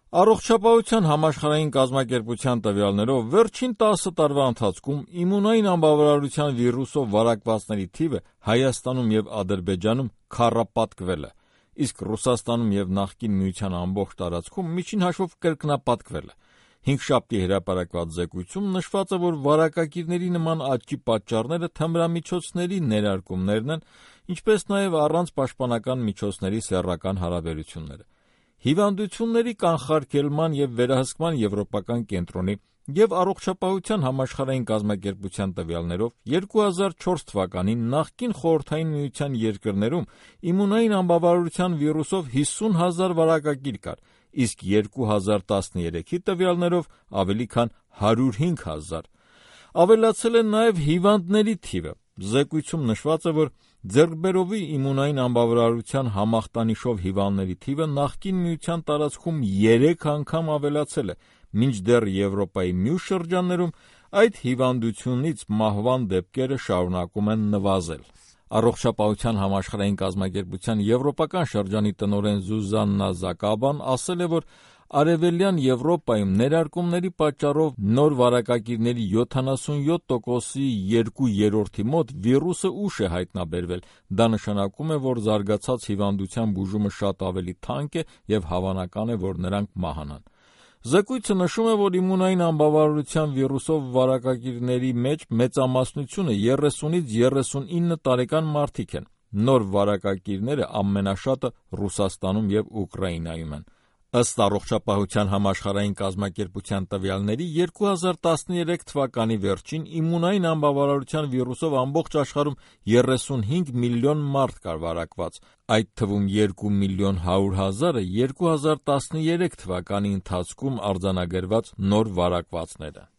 Առողջապահության համաշխարհային կազմակերպության տվյալներով վերջին 10 տարվա ընթացքում իմունային անբավարարության վիրուսով վարակվածների թիվը Հայաստանում և Ադրբեջանում քառապատկվել է, իսկ Ռուսաստանում և նախկին Միության ամբողջ տարածքում միջին հաշվով կրկնապատկվել է։ Հինգշաբթի հրապարակված զեկույցում նշված է, որ վարակակիրների նման աճի պատճառները թմրամիջոցների ներարկումներն են, ինչպես նաև առանց պաշտպանական միջոցների սեռական հարաբերությունները։ Հիվանդությունների կանխարգելման և վերահսկման եվրոպական կենտրոնի և Առողջապահության համաշխարհային կազմակերպության տվյալներով 2004 թվականին նախկին Խորհրդային Միության երկրներում իմունային անբավարարության վիրուսով 50 հազար վարակակիր կար, իսկ 2013-ի տվյալներով ավելի քան 105 հազար։ Ավելացել է նաև հիվանդների թիվը։ Զեկույցում նշված է, որ ձեռքբերովի իմունային անբավարարության համախտանիշով հիվանդների թիվը նախկին Միության տարածքում 3 անգամ ավելացել է, մինչդեռ Եվրոպայի մյուս շրջաններում այդ հիվանդությունից մահվան դեպքերը շարունակում են նվազել։ Առողջապահության համաշխարհային կազմակերպության եվրոպական շրջանի տնօրեն Զուզաննա Զակաբան ասել է, որ Արևելյան Եվրոպայում ներարկումների պատճառով նոր վարակակիրների 77%-ի 2/3 մոտ վիրուսը ուշ է հայտնաբերվել։ Դա նշանակում է, որ զարգացած հիվանդության բուժումը շատ ավելի թանկ է և հավանական է, որ նրանք մահանան։ Զեկույցը նշում է, որ իմունային անբավարարության վիրուսով վարակակիրների մեջ մեծամասնությունը 30-ից 39 տարեկան մարդիկ են։ Նոր վարակակիրները ամենաշատը Ռուսաստանում և Ուկրաինայում են։ Ըստ Առողջապահության համաշխարհային կազմակերպության տվյալների 2013 թվականի վերջին իմունային անբավարարության վիրուսով ամբողջ աշխարհում 35 միլիոն մարդ կար վարակված, այդ թվում 2 միլիոն 100 հազարը 2013 թվականի ընթացքում արձանագրված նոր վարակվածներ են։